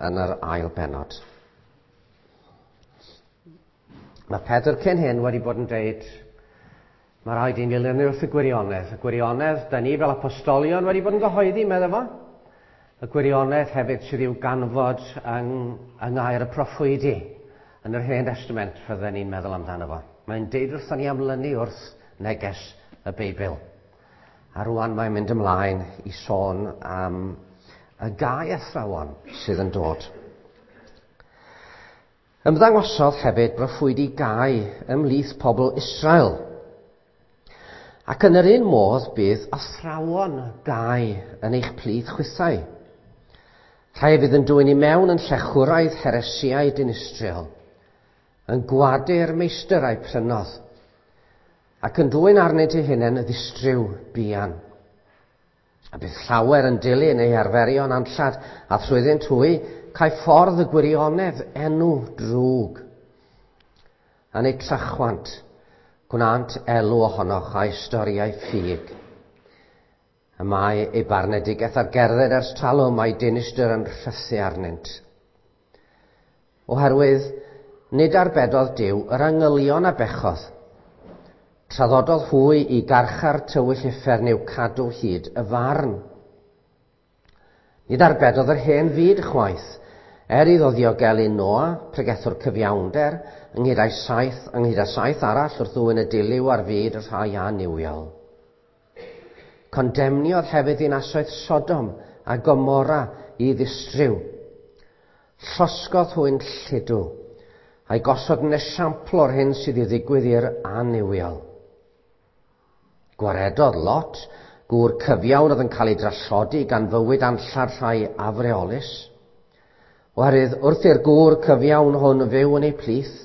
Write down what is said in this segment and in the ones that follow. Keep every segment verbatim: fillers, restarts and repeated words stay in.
yn yr ail bennod. Mae Pedr cyn hyn wedi bod yn deud, mae rhaid i ni lynu wrth y gwirionedd. Y gwirionedd, da ni fel apostolion wedi bod yn gyhoeddi, meddai fo. Y gwirionedd hefyd sydd i'w ganfod yng, yng ngair y proffwydi yn yr Hen Testament, fydden ni'n meddwl amdano fo. Mae'n deud wrthon ni am lynu wrth neges y Beibl. A rwan mae'n mynd ymlaen i sôn am y gau athrawon sydd yn dod. Ymddangosodd hefyd broffwydi gau ymhlith pobl Israel. Ac yn yr un modd bydd athrawon gau yn eich plith chwithau. Rhai fydd yn dwyn i mewn yn llechwraidd heresiau dinistriol, yn gwadu'r meistr a'i prynodd, ac yn dwyn arnynt eu hunain y ddistryw buan. A bydd llawer yn dilyn eu arferion anllad, a thrwyddynt hwy cael ffordd y gwirionedd enw drwg. Yn eu trachwant, gwnant elw ohonoch a'i storiau ffug. Y mae ei barnedigaeth ar gerdded ers talwm, mae dinistr yn rhythu arnynt. Oherwydd, nid arbedodd Duw yr angylion a bechodd. Traddododd hwy i garchar tywyll uffern i'w cadw hyd y farn. Nid arbedodd yr hen fyd chwaith, er iddo ddiogelu Noa, pregethwr cyfiawnder, ynghyd â'i saith, ynghyd â saith arall wrth ddwyn y dilyw ar fyd y rhai annuwiol. Condemniodd hefyd ddinasoedd Sodom a Gomorra i ddistryw. Llosgodd hwy'n lludw, a'i gosod yn esiampl o'r hyn sydd i ddigwydd i'r annuwiol. Gwaredodd Lot, gŵr cyfiawn oedd yn cael ei drallodi gan fywyd anllad rhai afreolus. Oherwydd wrth i'r gŵr cyfiawn hwn fyw yn ei plith,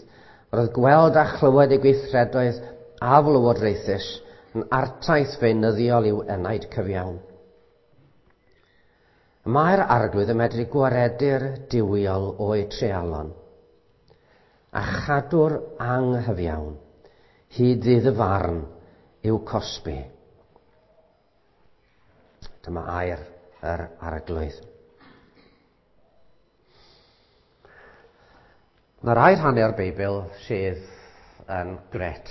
roedd gweld a chlywed ei gweithredoedd aflywodraethus yn artaith feunyddiol i'w enaid cyfiawn. Mae'r Arglwydd yn medru gwaredu'r duwiol o'u treialon, a chadw'r anghyfiawn hyd ddydd y farn i'w cosbi. Dyma air yr Arglwydd. Mae rai rhannau o'r Beibl sydd yn gret.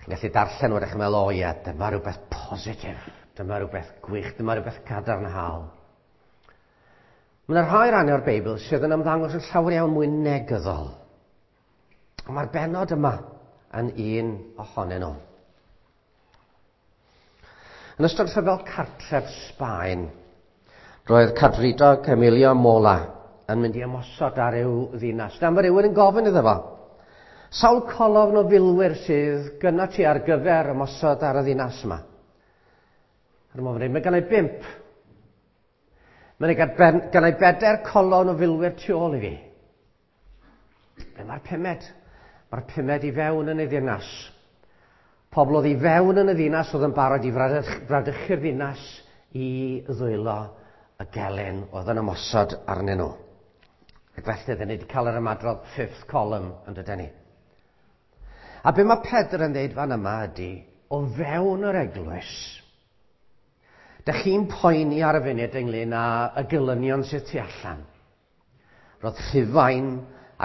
Chi'n gallu darllen wedyn chi'n meddwl, o ie, dyma rhywbeth positif, dyma rhywbeth gwych, dyma rhywbeth cadarnhaol. Mae yna rhai rhannau o'r Beibl sydd yn ymddangos yn llawer iawn mwy negyddol. Ond mae'r bennod yma yn un ohonyn nhw. Yn ystod rhyfel cartref Sbaen, roedd Cadfridog Emilio Mola yn mynd i ymosod ar ryw ddinas. Dyma rhywun yn gofyn iddo fo, sawl colofn o filwyr sydd gynno ti ar gyfer ymosod ar y ddinas yma? Ar y moment, mae gennau bump. Mae gennau bedair colofn o filwyr tu ôl i fi. Be mae'r pumed? Mae'r pumed i fewn yn y ddinas. Pobl oedd i fewn yn y ddinas oedd yn barod i fradychu'r ddinas i ddwylo y gelyn oedd yn ymosod arnyn nhw. Ac felly, dyn ni wedi cael yr ymadrodd fifth column yn dydyn ni. A be mae Pedr yn dweud fan yma ydy, o fewn yr eglwys, dych chi'n poeni ar y funud ynglyn â y gelynion sydd tu allan. Roedd Rhufain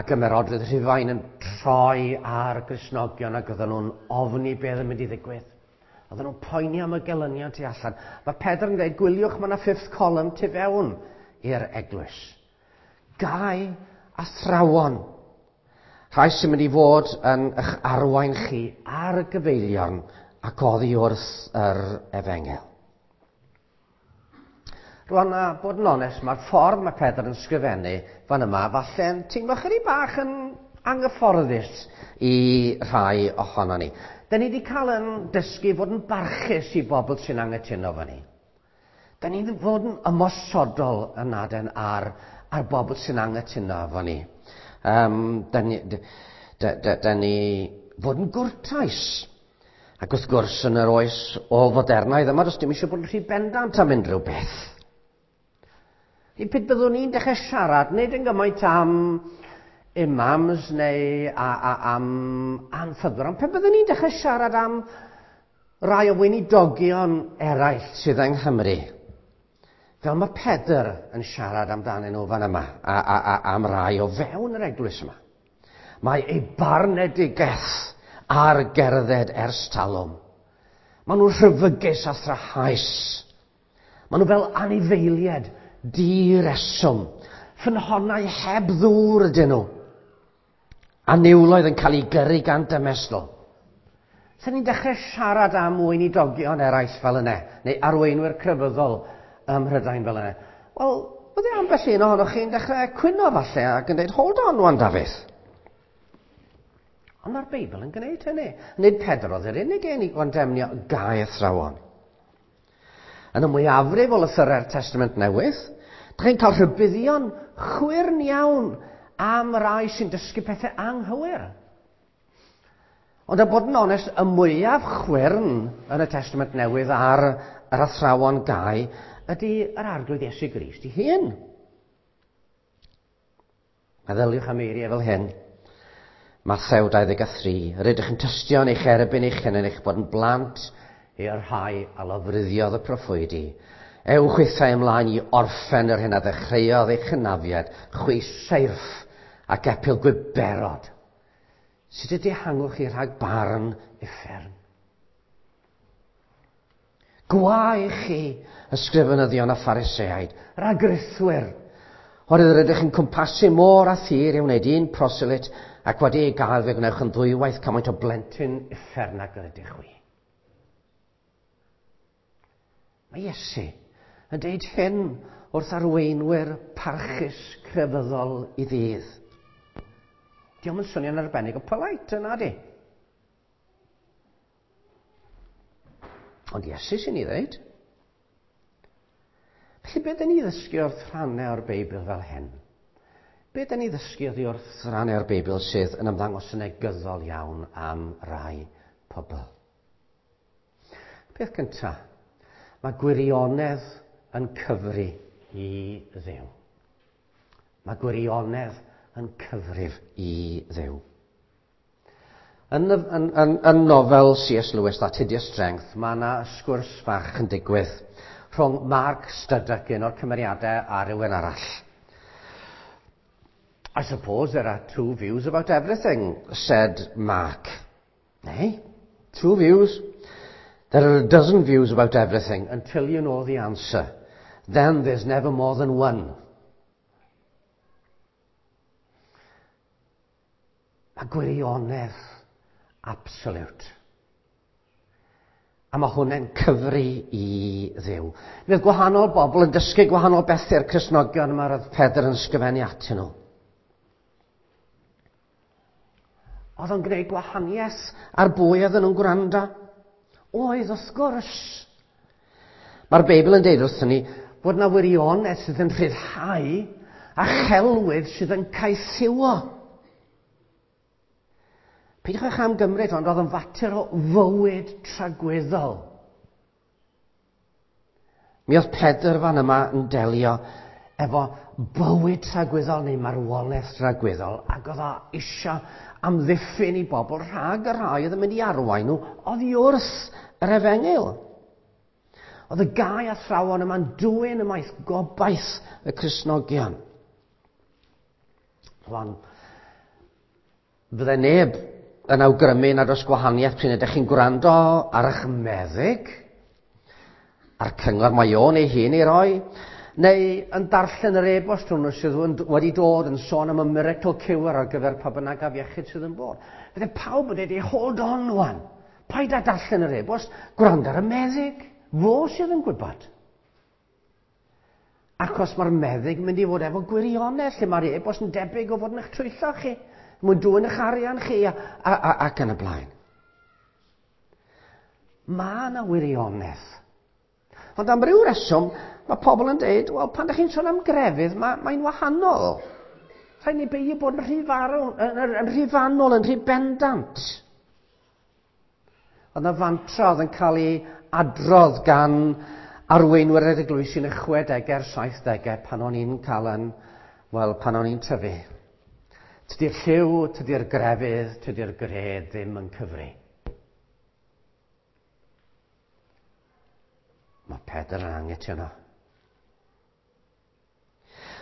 ac ymerodrwydd Rhufain yn troi ar Gristnogion ac oedden nhw'n ofni beth yn mynd i ddigwydd. Oedden nhw'n poeni am y gelynion tu allan. Mae Pedr yn dweud, gwyliwch, mae yna fifth column tu fewn i'r eglwys. Gau athrawon. Rhai sy'n mynd i fod yn eich arwain chi ar y gyfeilion ac oddi wrth yr efengyl. Rwan, a bod yn onest, mae'r ffordd mae Pedr yn sgrifennu fan yma, falle'n teimlo chydig bach yn anghyfforddus i rhai ohono ni. Da ni wedi cael yn dysgu fod yn barchus i bobl sy'n anghytuno fo ni. Da ni wedi fod yn ymosodol yn aden ar, ar bobl sy'n anghytuno fo ni. Um, da ni, da, da, da ni fod yn gwrtais. Ac wrth gwrs, yn yr oes ôl-fodernaidd yma, does dim eisiau bod yn rhy bendant am unrhyw beth. I pryd byddwn ni'n dechrau siarad, nid yn gymaint am imams neu a, a, am anffyddwyr, ond pe byddwn ni'n dechrau siarad am rai o weinidogion eraill sydd yng Nghymru, Fel mae Pedr yn siarad amdanyn nhw fan yma, a, a, a, am rai o fewn yr eglwys yma. Mae ei barnedigaeth ar gerdded ers talwm. Maen nhw'n rhyfygus a thrahaus. Maen nhw fel anifeiliaid direswm. Ffynhonnau heb ddŵr ydyn nhw. A niwloedd yn cael ei gyrru gan dymestl. Sen ni'n dechrau siarad am weinidogion eraill fel yna, neu arweinwyr crefyddol ym Mhrydain fel yna. Wel, bydde ambell un ohonoch chi'n dechrau cwyno falle ac yn dweud, hold on wan, Dafydd. Ond mae'r Beibl yn gwneud hynny. Nid Pedr oedd yr unig un i gondemnio gau athrawon. Yn y mwyafrif o lythyrau'r Testament Newydd, dych chi'n cael rhybuddion chwyrn iawn am rai sy'n dysgu pethau anghywir. Ond a bod yn onest, y mwyaf chwyrn yn y Testament Newydd ar yr athrawon gau ydy yr Arglwydd Iesu Grist ei hun. Meddyliwch am eiriau fel hyn. Mathew dau ddeg a thri. Yr ydych yn tystio yn eich erbyn eich hunain eich bod yn blant i'r rhai a lofruddiodd y proffwydi. Ewch chwithau ymlaen i orffen yr hyn a ddechreuodd eich hynafiad, chwi seirff ac epil gwiberod. Sut y dihangwch chi rhag barn uffern? Gwae chi, ysgrifenyddion a Phariseaid, rhagrithwyr, oherwydd yr ydych yn cwmpasu môr a thir i wneud un proselit ac wedi ei gael fe gwnewch yn ddwywaith cymaint o blentyn uffern ag yr ydych chwi. Mae Iesu yn deud hyn wrth arweinwyr parchus crefyddol i ddydd. Dio'm yn swnio'n arbennig o polite yna di. Ond Iesu sy'n ei ddeud. Felly be dyn ni ddysgu wrth rhannau o'r Beibl fel hyn? Be dyn ni ddysgu oddi wrth rhannau o'r Beibl sydd yn ymddangos yn negyddol iawn am rai pobl? Peth cyntaf, mae gwirionedd yn cyfri i Dduw. Mae gwirionedd yn cyfrif i Dduw. Yn, yn, yn, yn nofel C S Lewis, That Hideous Strength, mae yna sgwrs fach yn digwydd rhwng Mark Studdock, un o'r cymeriadau, a rhywun arall. I suppose there are two views about everything, said Mark. Eh? Two views? There are a dozen views about everything until you know the answer. Then there's never more than one. Mae gwirionedd absolute. A mae hwnna'n cyfri i Dduw. Mi oedd gwahanol bobl yn dysgu gwahanol bethau'r Cristnogion yma roedd Pedr yn ysgrifennu atyn nhw. Oedd o'n gwneud gwahaniaeth ar bwy oedden nhw'n gwrando? Oedd, wrth gwrs. Mae'r Beibl yn deud wrthyn ni bod yna wirionedd sydd yn rhyddhau a chelwydd sydd yn caethiwo. Peidiwch am gymryd, ond oedd yn fater o fywyd tragwyddol. Mi oedd Pedr fan yma yn delio efo bywyd tragwyddol neu marwolaeth tragwyddol, ac oedd o eisiau amddiffyn i bobl rhag y rhai oedd yn mynd i arwain nhw oddi wrth yr efengyl. Oedd y gau athrawon yma'n dwyn ymaith gobaith y Cristnogion. Rwan, fydde neb yn awgrymu nad oes gwahaniaeth pryd ydych chi'n gwrando ar eich meddyg, a'r cyngor mae o'n ei hun ei roi, neu yn darllen yr e-bost hwnnw sydd wedi dod yn sôn am y miracle cure ar gyfer pa bynnag afiechyd sydd yn bod. Fydde pawb yn dweud, hold on wan, paid â darllen yr e-bost, gwrando ar y meddyg, fo sydd yn gwybod. Achos mae'r meddyg yn mynd i fod efo gwirionedd, lle mae'r e-bost yn debyg o fod yn eich twyllo chi, mwyn dwyn eich arian chi a, a, a, ac yn y blaen. Mae yna wirionedd. Ond am ryw reswm, mae pobl yn dweud, wel, pan ydych chi'n sôn am grefydd, mae, mae'n wahanol. Rhaid ni beidio bod yn rhy farw, yn, yn, yn rhy fanwl, yn rhy bendant. Oedd yna fantra oedd yn cael ei adrodd gan arweinwyr yr eglwysi yn y chwedegau a'r saithdegau pan o'n i'n cael yn, wel, pan o'n i'n tyfu. Tydi'r lliw, tydi'r grefydd, tydi'r gred ddim yn cyfri. Mae Pedr yn anghytuno.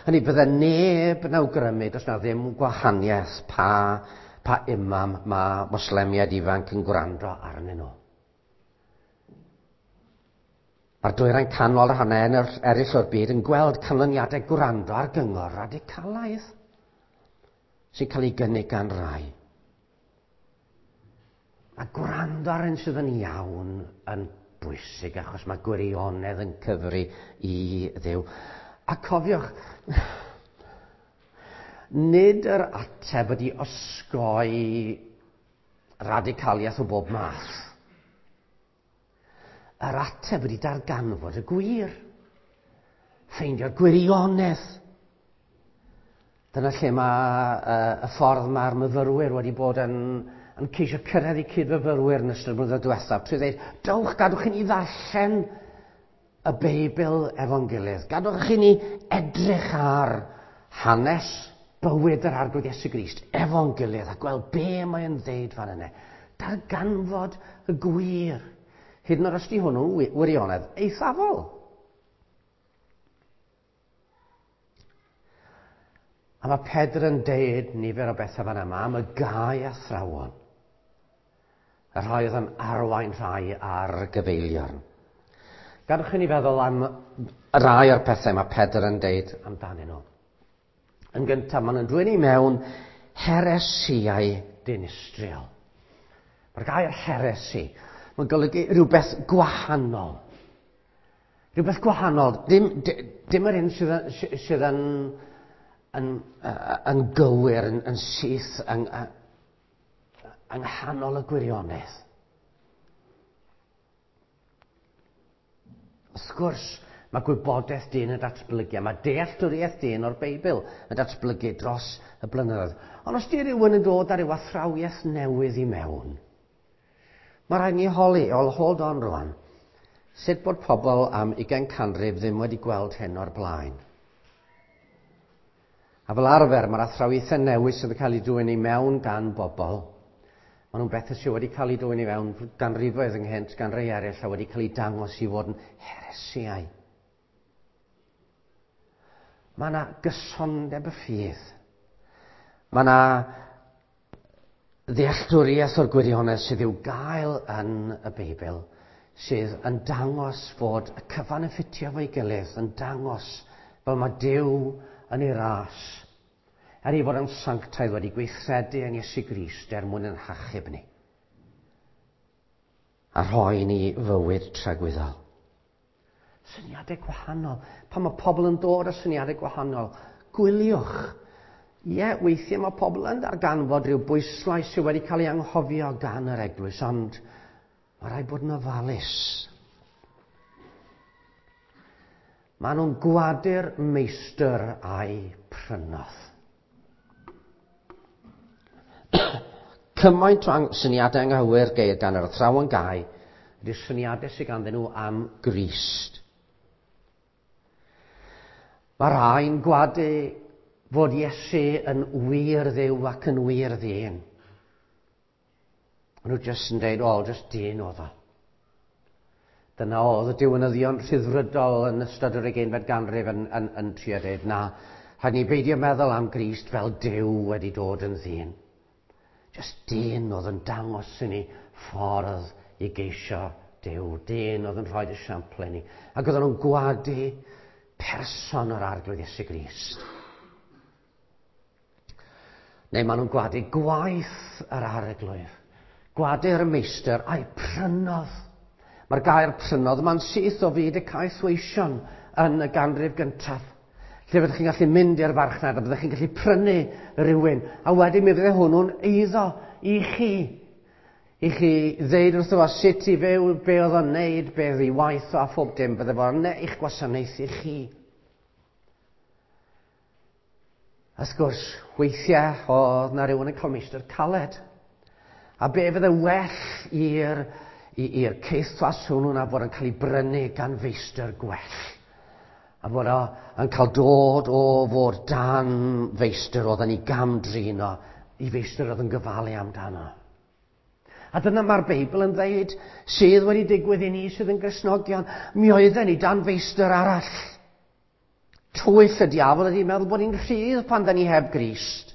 Hynny bydde neb yn awgrymu, does na ddim gwahaniaeth pa, pa imam mae Moslemiaid ifanc yn gwrando arnyn nhw. Mae'r dwyrain canol a rhannau eraill o'r byd yn gweld canlyniadau gwrando ar gyngor radicalaidd sy'n cael ei gynnig gan rai. Mae gwrando ar un sydd yn iawn yn bwysig achos mae gwirionedd yn cyfri i Dduw. A cofiwch, nid yr ateb ydy osgoi radicaliaeth o bob math. Yr ateb ydy darganfod y gwir. Ffeindio'r gwirionedd. Dyna lle mae uh, y ffordd mae'r myfyrwyr wedi bod yn, yn ceisio cyrraedd eu cydfyfyrwyr yn ystod y blynyddoedd diwethaf. Trwy ddweud, dowch, gadwch i ni ddarllen y Beibl efo'n gilydd. Gadwch i ni edrych ar hanes bywyd yr Arglwydd Iesu Grist efo'n gilydd a gweld be mae'n ddeud fan yna. Darganfod y gwir. Hyd yn oed os di hwnnw wirionedd eithafol. A mae Pedr yn deud nifer o bethau fan yma am y gau athrawon. Y rhai oedd yn arwain rhai ar gyfeiliorn. Gadwch i ni feddwl am rai o'r pethau mae Pedr yn deud amdanyn nhw. Yn gyntaf, maen nhw'n dwyn i mewn heresiau dinistriol. Mae'r gair heresi, mae'n golygu rhywbeth gwahanol. Rhywbeth gwahanol, dim, dim yr un sydd, sydd yn, yn, yn gywir, yn, yn syth, yng, yng nghanol y gwirionedd. Wrth gwrs, mae gwybodaeth dyn yn datblygu, a mae dealltwriaeth dyn o'r Beibl yn datblygu dros y blynyddoedd. Ond os di rhywun yn dod ar ryw athrawiaeth newydd i mewn, mae rhaid ni holi, ol hold on rwan, sut bod pobl am ugain canrif ddim wedi gweld hyn o'r blaen. A fel arfer, mae'r athrawiaethau newydd sydd yn cael eu dwyn i mewn gan bobl, maen nhw'n bethau sydd wedi cael eu dwyn i mewn ganrifoedd ynghynt gan rai eraill a wedi cael eu dangos i fod yn heresiau. Mae yna gysondeb y ffydd. Mae yna ddealltwriaeth o'r gwirionedd sydd i'w gael yn y Beibl, sydd yn dangos fod y cyfan yn ffitio fo'i gilydd, yn dangos fel mae Duw yn ei ras, er ei fod yn sanctaidd wedi gweithredu yn Iesu Grist er mwyn yn hachub ni, a rhoi ni fywyd tragwyddol. Syniadau gwahanol. Pan mae pobl yn dod â syniadau gwahanol, gwyliwch. Ie, weithiau mae pobl yn darganfod rhyw bwyslais sydd wedi cael ei anghofio gan yr eglwys, ond mae rhaid bod yn ofalus. Maen nhw'n gwadu'r meistr a'i prynodd. Cymaint o syniadau anghywir geir gan yr athrawon gau ydy'r syniadau sydd ganddyn nhw am Grist. Mae rhai'n gwadu fod Iesu yn wir Dduw ac yn wir ddyn. Maen nhw jyst yn dweud, o, jyst dyn oedd o. Dyna oedd y diwinyddion rhyddfrydol yn ystod yr ugeinfed ganrif yn, yn, yn trio dweud, na, rhaid ni beidio meddwl am Grist fel Duw wedi dod yn ddyn. Jyst dyn oedd yn dangos i ni ffordd i geisio Duw. Dyn oedd yn rhoi esiampl i ni. Ac oedden nhw'n gwadu person o'r Arglwydd Iesu Grist. Neu maen nhw'n gwadu gwaith yr Arglwydd. Gwadu'r meistr a'i prynodd. Mae'r gair prynodd yma'n syth o fyd y caethweision yn y ganrif gyntaf. Lle fyddwch chi'n gallu mynd i'r farchnad a byddwch chi'n gallu prynu rhywun. A wedyn mi fydde hwnnw'n eiddo i chi. I chi ddeud wrtho fo sut i fyw, be oedd o'n neud, be oedd ei waith o a phob dim. Bydde fo'n eich gwasanaethu chi. Wrth gwrs, weithiau oedd na rhywun yn cael meistr caled. A be fydde well i'r i'r caethwas hwnnw na bod yn cael ei brynu gan feistr gwell. A bod o yn cael dod o fod dan feistr oedd yn ei gamdrin o, i feistr oedd yn gyfalu amdano. A dyna mae'r Beibl yn dweud sydd wedi digwydd i ni sydd yn Gristnogion. Mi oedden ni dan feistr arall. Twyll y diafol ydy meddwl bod ni'n rhydd pan da ni heb Grist.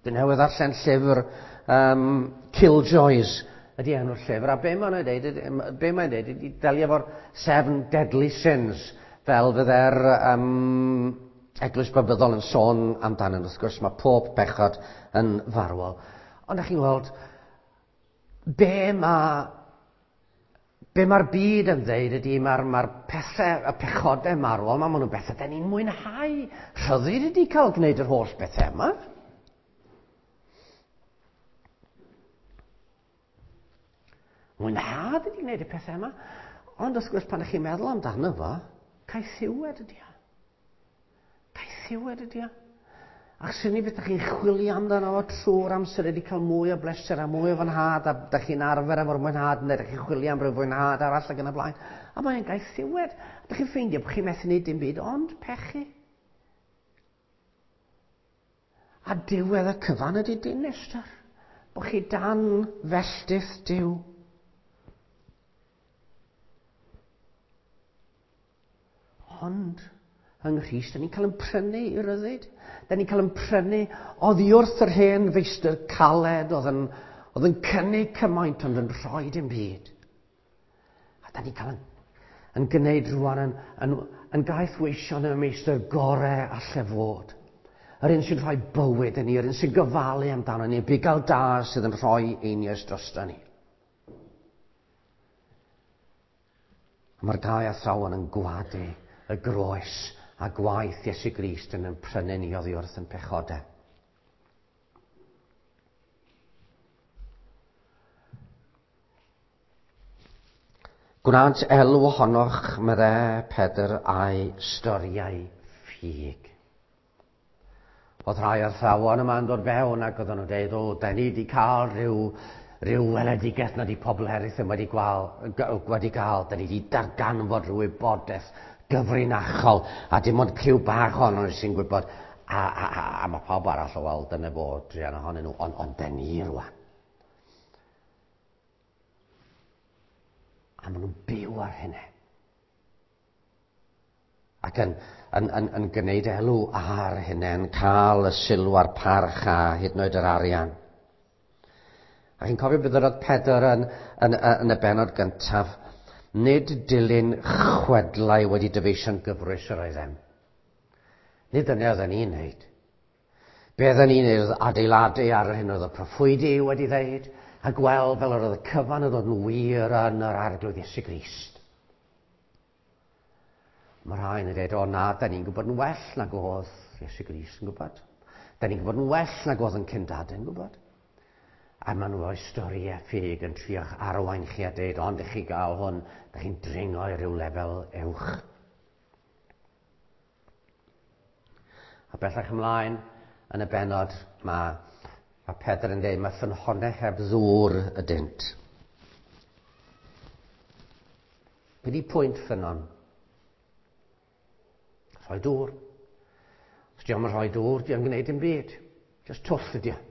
Dwi newydd ddarllen llyfr um, Killjoys ydy enw'r llyfr, a be mae'n dweud, be mae'n dweud ydy delio efo'r Seven Deadly Sins, fel fydde'r um, Eglwys Babyddol yn sôn amdanyn. Wrth gwrs, mae pob bechod yn farwol. Ond ydych chi'n gweld, be mae be mae'r byd yn dweud ydy mae'r mae pethau, y pechodau marwol, mae nhw'n bethau da ni'n mwynhau. Rhyddid ydy cael gwneud yr holl bethau yma. Mwynhad ydy gwneud y pethau yma. Ond wrth gwrs, pan ydych chi'n meddwl amdano fo, caethiwed ydy o. Caethiwed ydy o. Ac sy'n ni beth ydych chi'n chwilio amdano fo trwy'r amser ydy cael mwy o bleser a mwy o fwynhad, a ydych chi'n arfer efo'r mwynhad, neu ydych chi'n chwilio am ryw fwynhad arall ac yn y blaen. A mae'n gaethiwed. Ydych chi'n ffeindio bod chi'n methu wneud dim byd, ond pechu. A diwedd y cyfan ydy dinistr. Bod chi dan felltith Duw. Ond yng Nghrist, da ni'n cael yn prynu i ryddid. Da ni'n cael yn prynu oddi wrth yr hen feistr caled oedd yn, oedd yn cynnig cymaint ond yn rhoi dim byd. A da ni'n cael yn, yn gwneud rwan yn, yn, yn gaethweision y meistr gorau alle fod. Yr un sy'n rhoi bywyd yn ni, yr un sy'n gofalu amdano ni, bugail da sydd yn rhoi einioes drosto ni. A mae'r gau athrawon yn gwadu y groes a gwaith Iesu Grist yn yn prynu ni oddi wrth yn pechodau. Gwnant elw ohonoch, meddai Pedr, a'i storiau ffug. Oedd rhai athrawon yma'n dod fewn ac oedden nhw'n dweud, o, da ni wedi cael rhyw, rhyw weledigaeth na di pobl eraill ddim wedi, gwal, wedi cael, da ni wedi darganfod rhyw wybodaeth gyfrinachol, a dim ond criw bach ohono nhw sy'n gwybod, a, a, a, a mae pawb arall o weld dyna fo, druan ohonyn nhw, ond on da ni rwan. A maen nhw'n byw ar hynny. Ac yn, yn, yn, yn gwneud elw ar hynny, yn cael y sylw a'r parch a hyd yn oed yr arian. A chi'n cofio beth oedd Pedr yn, yn, yn, yn y bennod gyntaf, nid dilyn chwedlau wedi dyfeisio'n gyfrwys yr oeddem. Nid dyna oedden ni'n neud. Be oedden ni'n neud oedd adeiladu ar yr hyn oedd y proffwydi wedi ddeud, a gweld fel yr oedd y cyfan yn dod yn wir yn yr Arglwydd Iesu Grist. Mae rhai yn dweud, o na, da ni'n gwybod yn well nag oedd Iesu Grist yn gwybod. Da ni'n gwybod yn well nag oedd yn cyndadau yn gwybod. A maen nhw o'i storiau ffug yn trio'ch arwain chi a dweud, ond ych chi gael hwn, da chi'n dringo i ryw lefel uwch. A bellach ymlaen, yn y bennod, mae, mae Pedr yn dweud, mae ffynhonnau heb ddŵr ydynt. Be di pwynt ffynnon? Rhoi dŵr. Os di o'm yn rhoi dŵr, di o'm yn gwneud dim byd. Just twll ydi o.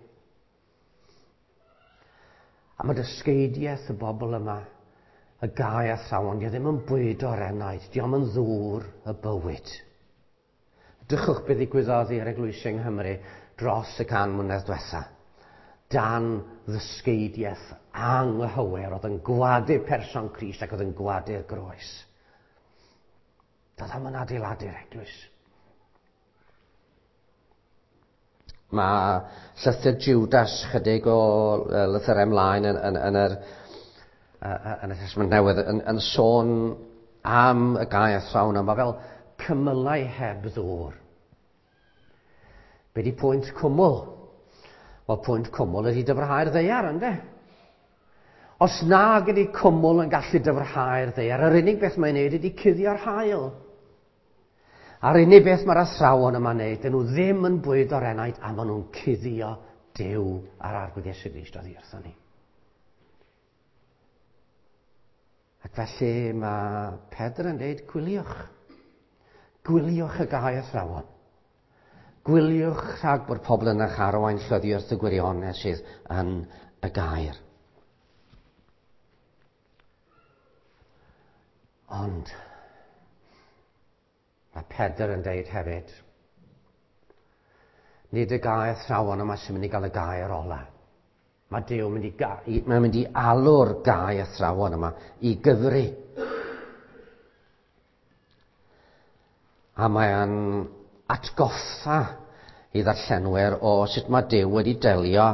A mae dysgeidiaeth y bobl yma, y gau athrawon, di o ddim yn bwydo'r enaid, di o'm yn ddŵr y bywyd. Drychwch beth ddigwyddodd i'r eglwysi yng Nghymru dros y can mlynedd diwetha. Dan ddysgeidiaeth anghywir oedd yn gwadu person Crist ac oedd yn gwadu'r groes. Doedd o'm yn adeiladu'r eglwys. Mae llythyr Judas chydig o lythyrau ymlaen yn, yn, yn, yr, yn y Testament Newydd yn, yn sôn am y gau athrawon yma fel cymylau heb ddŵr. Be di pwynt cwmwl? Wel, pwynt cwmwl ydy dyfrhau'r ddaear, ynde? Os nag ydy cwmwl yn gallu dyfrhau'r ddaear, yr unig beth mae'n neud ydy cuddio'r haul. A'r unig beth mae'r athrawon yma'n neud, dyn nhw ddim yn bwydo'r enaid a maen nhw'n cuddio Duw a'r Arglwydd Iesu Grist oddi wrthon ni. Ac felly mae Pedr yn dweud, gwyliwch. Gwyliwch y gau athrawon. Gwyliwch rhag bod pobl yn eich arwain oddi wrth y gwirionedd sydd yn y gair. Ond Mae Pedr yn deud hefyd, nid y gau athrawon yma sy'n mynd i gael y gair ola. Mae Duw mynd i, ga- mae'n mynd i alw'r gau athrawon yma i gyfri. A mae'n atgoffa i ddarllenwyr o sut mae Duw wedi delio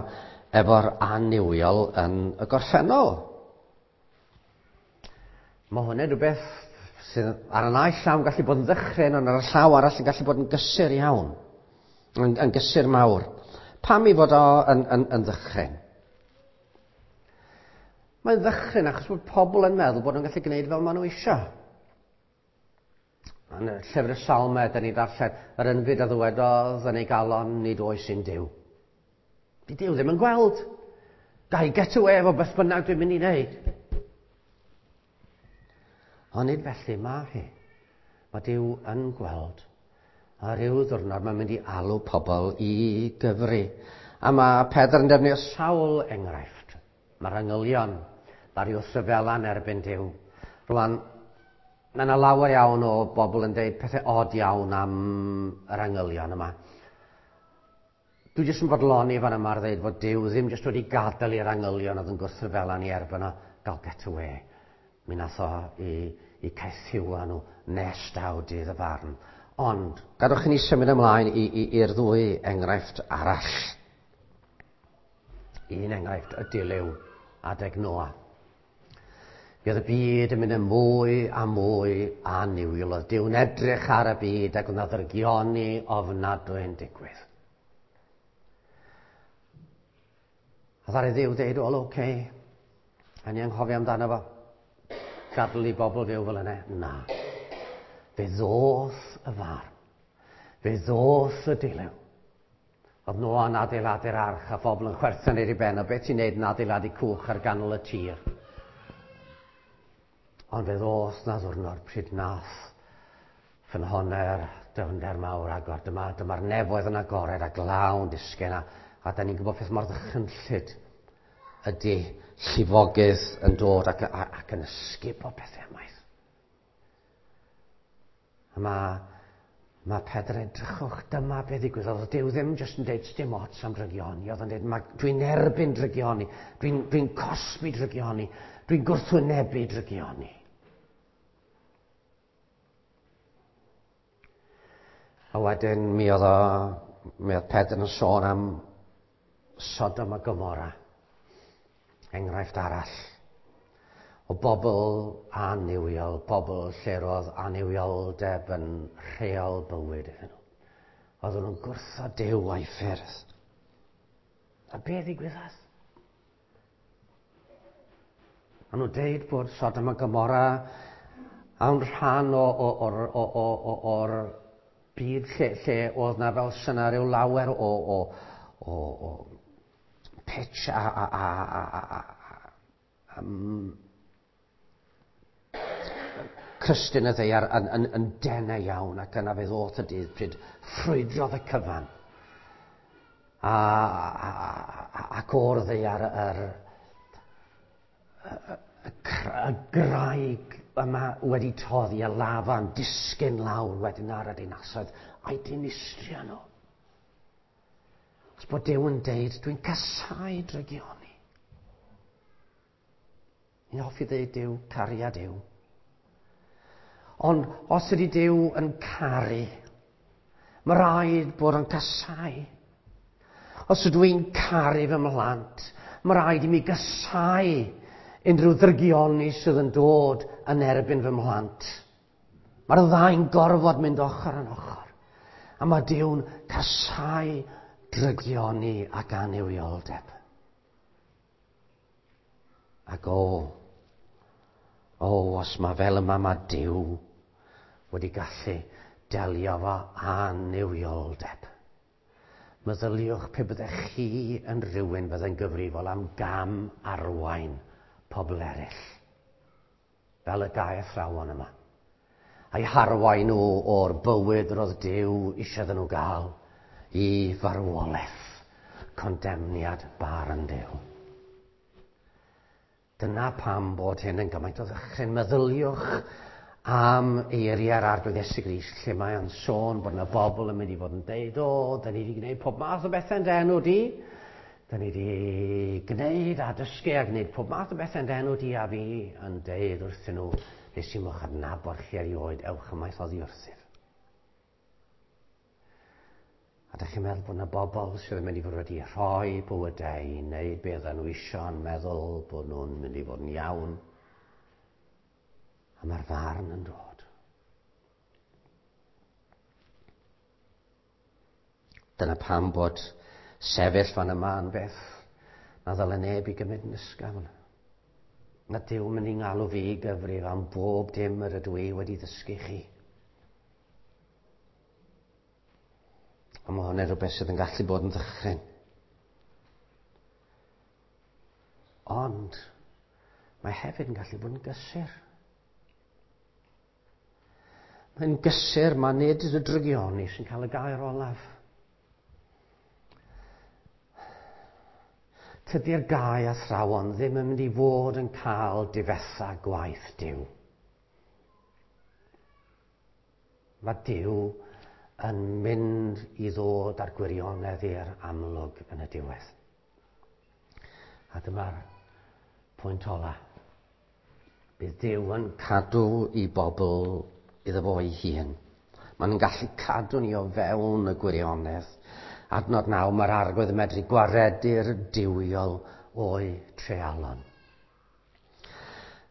efo'r annuwiol yn y gorffennol. Mae hwnna'n rhywbeth sydd ar y naill llaw yn gallu bod yn ddychryn, ond ar y llaw arall yn gallu bod yn gysur iawn, yn, yn gysur mawr. Pam i fod o yn, yn, yn ddychryn? Mae'n ddychryn achos bod pobl yn meddwl bod nhw'n gallu gwneud fel maen nhw eisiau. Yn y llyfr y Salmau, da ni ddarllen, yr ynfyd a ddywedodd yn ei galon, nid oes un Duw. Di Duw ddim yn gweld. Ga i get away efo beth bynnag dwi'n mynd i wneud. Ond nid felly mae hi. Mae Duw yn gweld. A rhyw ddiwrnod mae'n mynd i alw pobl i gyfri. A mae Pedr yn defnyddio sawl enghraifft. Mae'r angylion, ddaru wrthryfela yn erbyn Duw. Rwan, mae yna lawer iawn o bobl yn deud pethau od iawn am yr angylion yma. Dwi jyst yn bodloni fan yma ar ddeud fod Duw ddim jyst wedi gadael i'r angylion oedd yn gwrthryfela ni erbyn o gael get away. Mi nath o i, i caethiwa nhw nes daw dydd y farn. Ond, gadwch i ni symud ymlaen i'r ddwy enghraifft arall. Un enghraifft, y dilyw adeg Noa. Mi oedd y byd yn mynd yn mwy a mwy annuwiol. Oedd Duw'n edrych ar y byd ac oedd 'na ddrygioni ofnadwy yn digwydd. A ddaru Dduw ddeud, wel, oce, okay, a ni anghofio amdano fo. Gadael i bobl fyw fel yna. Na. Fe ddoth y farn. Fe ddoth y dilyw. Oedd Noa'n adeiladu'r arch a phobl yn chwerthin ar ei ben. O beth ti'n neud yn adeiladu cwch ar ganol y tir? Ond fe ddoth na ddwrnod pryd nath ffynhonnau'r dyfnder mawr agor. Dyma, dyma'r nefoedd yn agored a glaw yn disgyn. A, a da ni'n gwybod peth mor ddychrynllyd ydy llifogydd yn dod ac, ac yn ysgubo pethau ymaith. A mae, mae Pedr yn edrychwch, dyma beth ddigwyddodd. Oedd Duw ddim jyst yn deud dim ots am drygioni. Oedd yn deud, dwi'n erbyn drygioni, dwi'n dwi cosbi drygioni, dwi'n gwrthwynebu drygioni. A wedyn mi oedd, o, mi oedd Pedr yn sôn am Sodom a Gomorra. Enghraifft arall o bobl annuwiol, bobl lle roedd annuwioldeb yn rheol bywyd iddyn nhw. Oedden nhw'n gwrthod Duw a'i ffyrdd. A be ddigwyddodd? A nhw'n deud bod Sodom a Gomorra a'n rhan o, o, o'r, o, o, o, o'r byd lle, lle oedd na fel syna rhyw lawer o, o, o, o pitch a, a, a, a, a, a um, crystyn y ddaear yn, yn, yn denau iawn, ac yna fe ddoth y dydd pryd ffrwydrodd y cyfan. A, a, a, ac o'r ddaear yr, y, y, y graig yma wedi toddi a lafa'n disgyn lawr wedyn ar y dinasoedd a'i dinistrio nhw. Os bod Duw yn deud, dwi'n casáu drygioni. Ni'n hoffi ddeud Duw, cariad Duw. Ond os ydy Duw yn caru, mae rhaid bod yn casáu. Os ydw i'n caru fy mhlant, mae rhaid i mi gasáu unrhyw ddrygioni sydd yn dod yn erbyn fy mhlant. Mae'r ddau'n gorfod mynd ochr yn ochr. A mae Duw'n casáu drygioni ac annuwioldeb. Ac o, o, os mae fel yma mae Duw wedi gallu delio fo annuwioldeb. Meddyliwch pe byddech chi yn rhywun fydde'n gyfrifol am gam arwain pobl eraill, fel y gau athrawon yma. A'i harwain nhw o'r bywyd roedd Duw eisiau iddyn nhw gael i farwolaeth, condemniad barn Duw. Dyna pam bod hyn yn gymaint o ddychryn. Meddyliwch am eiriau'r Arglwydd Iesu Grist, lle mae o'n sôn bod yna bobl yn mynd i fod yn deud, o, da ni wedi gwneud pob math o bethau yn dy enw di. Da ni wedi gwneud a dysgu a gwneud pob math o bethau yn dy enw di, a fi yn deud wrthyn nhw, nes i mo'ch adnabod chi erioed, ewch ymaith oddi wrthyf. A da chi'n meddwl bod yna bobl sydd yn mynd i fod wedi rhoi bywydau i wneud beth nhw isio yn meddwl bod nhw'n mynd i fod yn iawn. A mae'r farn yn dod. Dyna pam bod sefyll fan yma yn beth na ddyle neb i gymryd yn ysgafn. Na Duw mynd i ngalw fi i gyfrif am bob dim yr ydw i wedi ddysgu chi. A mae hwnna'n rhywbeth sydd yn gallu bod yn ddychryn. Ond mae hefyd yn gallu bod yn gysur. Mae'n gysur, mae nid y drygioni sy'n cael y gair olaf. Tydi'r gau athrawon ddim yn mynd i fod yn cael difetha gwaith Duw. Mae Duw yn mynd i ddod â'r gwirionedd i'r amlwg yn y diwedd. A dyma'r pwynt ola. Bydd Duw yn cadw i bobl iddo fo ei hun. Mae'n gallu cadw ni o fewn y gwirionedd. Adnod naw, mae'r Arglwydd yn medru gwaredu'r duwiol o'i treialon.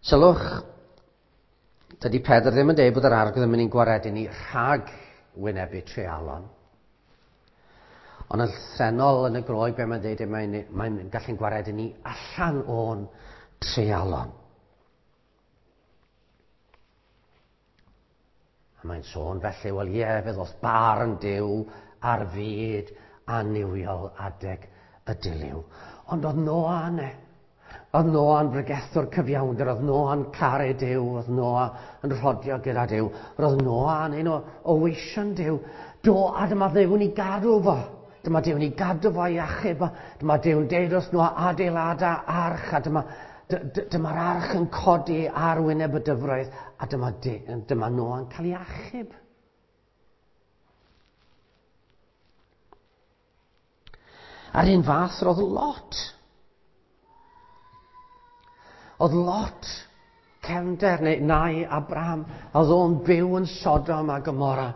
Sylwch, dydy Pedr ddim yn dweud bod yr Arglwydd yn mynd i'n gwaredu ni rhag wynebu treialon. Ond yn llythrennol yn y Groeg, be mae'n dweud, mae'n mae gallu'n gwaredu ni allan o'n treialon. A mae'n sôn felly, wel ie, fe ddoth barn Duw ar fyd annuwiol adeg y dilyw. Ond oedd Noa yna. Oedd Noa'n bregethwr cyfiawnder, oedd Noa'n caru Duw, oedd Noa yn rhodio gyda Duw. Roedd Noa yn un o, o weision Duw. Do, a dyma Dduw'n ei gadw fo. Dyma Duw'n ei gadw fo i achub. Dyma Duw'n deud wrth Noa adeilada arch, a dyma dyma'r arch yn codi ar wyneb y dyfroedd, a dyma, dyma Noa'n cael ei achub. A'r un fath roedd Lot. Oedd Lot cefnder neu nai Abraham, oedd o'n byw yn Sodom a Gomorra.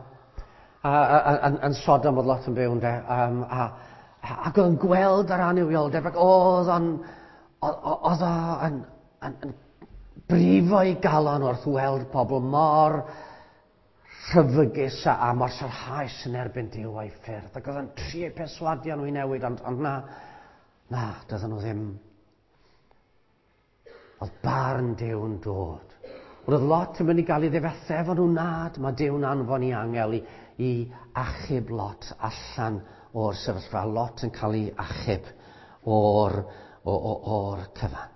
A, a, a, yn Sodom oedd Lot yn byw ynde. Um, a, a, ac oedd o'n gweld yr annuwioldeb, ac oedd o'n oedd o yn, yn, yn brifo ei galon wrth weld pobl mor rhyfygus a, a mor sarhaus yn erbyn Duw a'i ffyrdd. Ac oedd o'n trio perswadio nhw i newid, ond, ond na, na, doedden nhw ddim. Oedd barn Duw'n dod. Oedd Lot yn mynd i gael ei ddifetha efo nhw nad. Mae Duw'n anfon i angel i, i achub Lot allan o'r sefyllfa. Lot yn cael ei achub o'r O, o, o'r cyfan.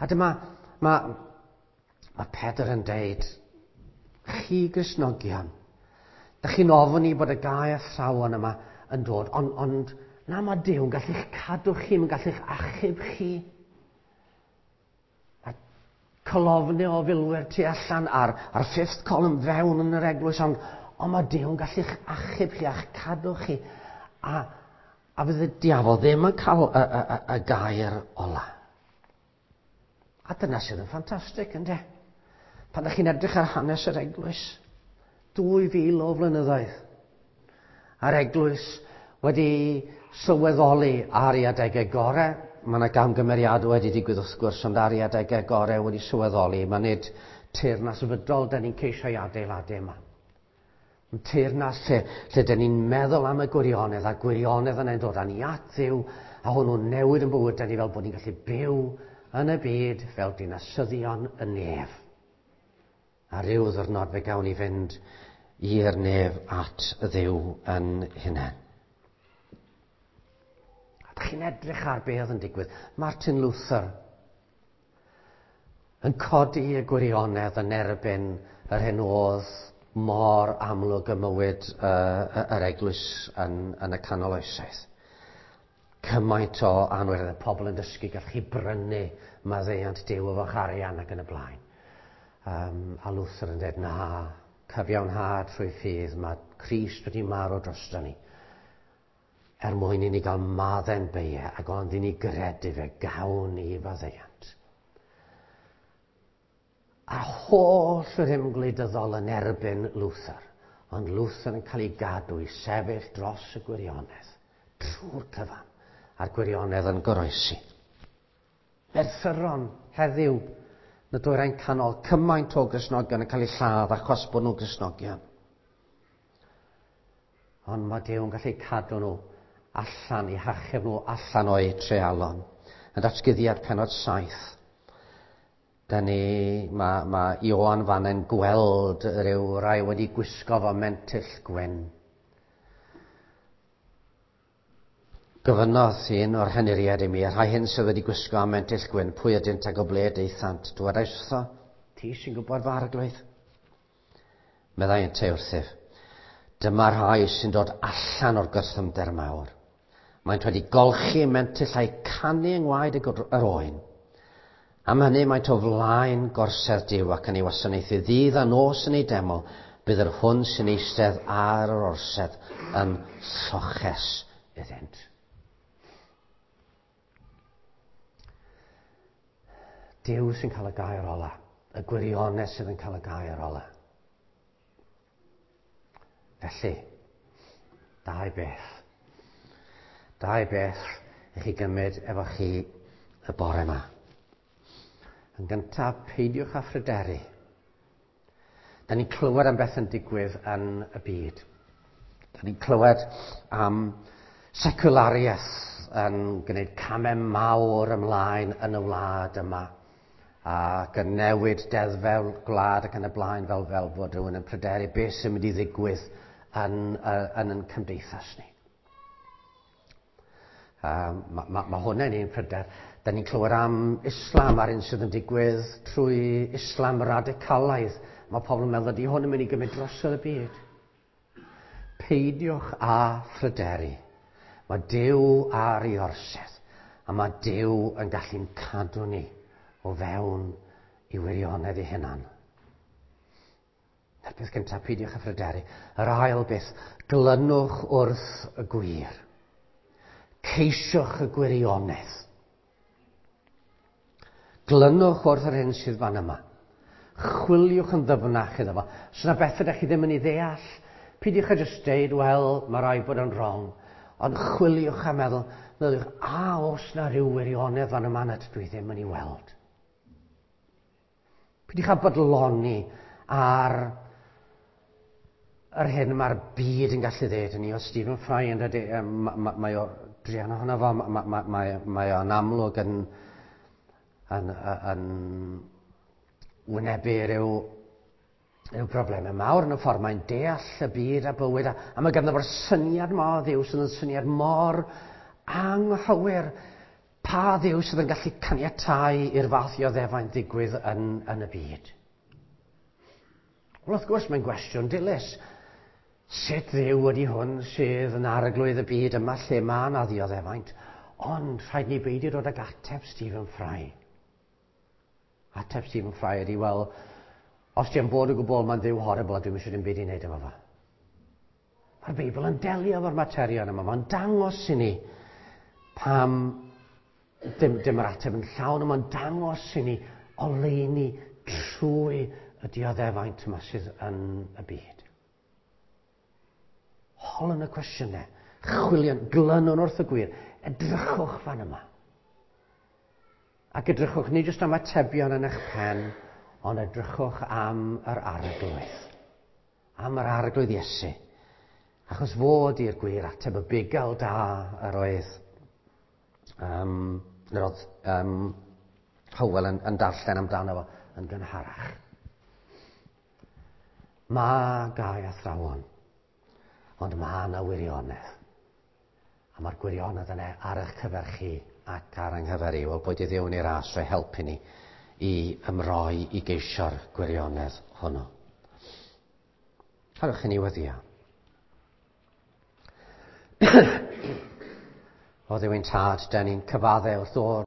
A dyma, mae, mae Pedr yn deud, chi Gristnogion, da chi'n ofni bod y gau athrawon yma yn dod, ond, ond na, mae Duw yn gallu'ch cadw chi, mae'n gallu'ch achub chi. Mae colofnau o filwyr tu allan ar, ar fifth column fewn yn yr eglwys, ond, ond mae Duw yn gallu'ch achub chi a'ch cadw chi. A A fydd y diafol ddim yn cael y, y, y, y gair ola. A dyna sydd yn ffantastig, ynde? Pan ydych chi'n edrych ar hanes yr eglwys, dwy fil o flynyddoedd, a'r eglwys wedi sylweddoli ar ei adegau gorau. Mae yna gamgymeriadau wedi digwydd wrth gwrs, ond ar ei adegau gorau wedi sylweddoli. Mae nid teyrnas fydol da ni'n ceisio ei adeiladu yma. Teyrnas lle, lle dyn ni'n meddwl am y gwirionedd, a gwirionedd yna'n dod â ni at Dduw, a hwnnw'n newid yn bywyd ni fel bod ni'n gallu byw yn y byd fel dinasyddion y nef. A ryw ddwrnod fe gawn ni fynd i'r nef at Dduw yn hunain. A dych chi'n edrych ar beth yn digwydd. Martin Luther yn codi y gwirionedd yn erbyn yr hyn oedd mor amlwg y mywyd uh, yr eglwys yn, yn y canol oesoedd. Cymaint o anwiredd, pobl yn dysgu, gallwch chi brynu maddeuant Duw efo'ch arian ac yn y blaen. Um, a Luther yn dweud, na, cyfiawnhad trwy ffydd, mae Crist wedi marw drosto ni. Er mwyn i ni gael maddau'n beiau, ac ond i ni gredu fe, gawn ni faddeuant. A holl rym gwleidyddol yn erbyn Luther, ond Luther yn cael ei gadw i sefyll dros y gwirionedd, trwy'r cyfan, a'r gwirionedd yn goroesi. Merthyron heddiw, yn y dwyrain canol, cymaint o Gristnogion yn cael eu lladd achos bod nhw'n Gristnogion. Ond mae Duw yn gallu cadw nhw allan, i hachub nhw allan o'u treialon. Yn datguddiad pennod saith, da ni, mae, mae Ioan fan yn gweld rhyw rai wedi gwisgo fo mentyll gwyn. Gofynnodd un o'r henuriaid i mi, y rhai hyn sydd wedi gwisgo am mentyll gwyn, pwy ydynt ac o ble daethant? Dwedais wrtho, ti sy'n gwybod fy arglwydd? Meddai yntau wrthyf, dyma rhai sy'n dod allan o'r gorthrymder mawr. Maent wedi golchi mentyll a'u canu yng ngwaed yr oen. Am hynny maent o flaen gorsedd Duw ac yn ei wasanaethu ddydd a nos yn ei deml, bydd yr hwn sy'n eistedd ar yr orsedd yn lloches iddynt. Duw sy'n cael y gair ola, y gwirionedd sydd yn cael y gair ola. Felly, dau beth. Dau beth i chi gymryd efo chi y bore yma. Yn gyntaf, peidiwch â phryderu. Da ni'n clywed am beth yn digwydd yn y byd. Da ni'n clywed am seculariaeth yn gwneud camau mawr ymlaen yn y wlad yma, ac yn newid deddfau gwlad ac yn y blaen, fel, fel bod rhywun yn pryderu beth sy'n mynd i ddigwydd yn, yn, yn cymdeithas ni. Um, mae ma, ma hwnna'n un pryder. Da ni'n clywed am Islam a'r un sydd yn digwydd trwy Islam radicalaidd. Mae pobl yn meddwl ydy hwn yn mynd i gymryd drosodd y byd. Peidiwch â phryderu. Mae Duw ar ei orsedd, a mae Duw yn gallu'n cadw ni o fewn i wirionedd ei hunan. Na'r peth gyntaf, peidiwch â phryderu. Yr ail beth, glynwch wrth y gwir. Ceisiwch y gwirionedd. Glynwch wrth yr hyn sydd fan yma. Chwiliwch yn ddyfnach iddo fo. Os yna beth ydych chi ddim yn ei ddeall, peidiwch â jyst deud, wel, mae rhaid bod yn wrong. Ond chwiliwch a meddwl, meddyliwch, a oes na rhyw wirionedd fan yma nad dwi ddim yn ei weld. Peidiwch â bodloni ar yr hyn mae'r byd yn gallu ddeud i ni. O Stephen Fry yn dweud, mae o druan ohono fo, mae, mae o'n amlwg yn, yn, yn wynebu rhyw, rhyw broblemau mawr yn y ffordd mae'n deall y byd a bywyd, a, a mae ganddo fo'r syniad ma o Dduw sydd yn syniad mor anghywir. Pa Dduw sydd yn gallu caniatáu i'r fath ioddefaint ddigwydd yn, yn y byd? Wel, wrth gwrs, mae'n gwestiwn dilys. Sut Dduw ydy hwn sydd yn arglwydd y byd yma lle mae yna ddioddefaint? Ond rhaid ni beidio dod ag ateb Stephen Fry. Ateb Stephen Fry ydy, wel, os ti'n bod o gwbl, mae'n Dduw horrible a dwi'm eisiau dim byd i wneud efo fo. Mae'r Beibl yn delio efo'r materion yma. Mae'n dangos i ni pam dim, dim yr ateb yn llawn, ond mae'n dangos i ni oleuni trwy y dioddefaint yma sydd yn y byd. Holwn y cwestiynau, chwilion, glynwn wrth y gwir, edrychwch fan yma. Ac edrychwch nid jyst am atebion yn eich pen, ond edrychwch am yr arglwydd. Am yr arglwydd Iesu. Achos fod i'r gwir ateb y bugail da yr oedd, um, yr oedd um, Hywel yn, yn darllen amdano fo yn gynharach. Mae gau athrawon, ond mae yna wirionedd. A mae'r gwirionedd yna ar eich cyfer chi ac ar yng nghyfer i. Wel, boed i Dduw yn ei ras o'i helpu ni i ymroi i geisio'r gwirionedd hwnnw. Cadwch i ni weddio. O Dduw ein tad, da ni'n cyfadde wrth ddod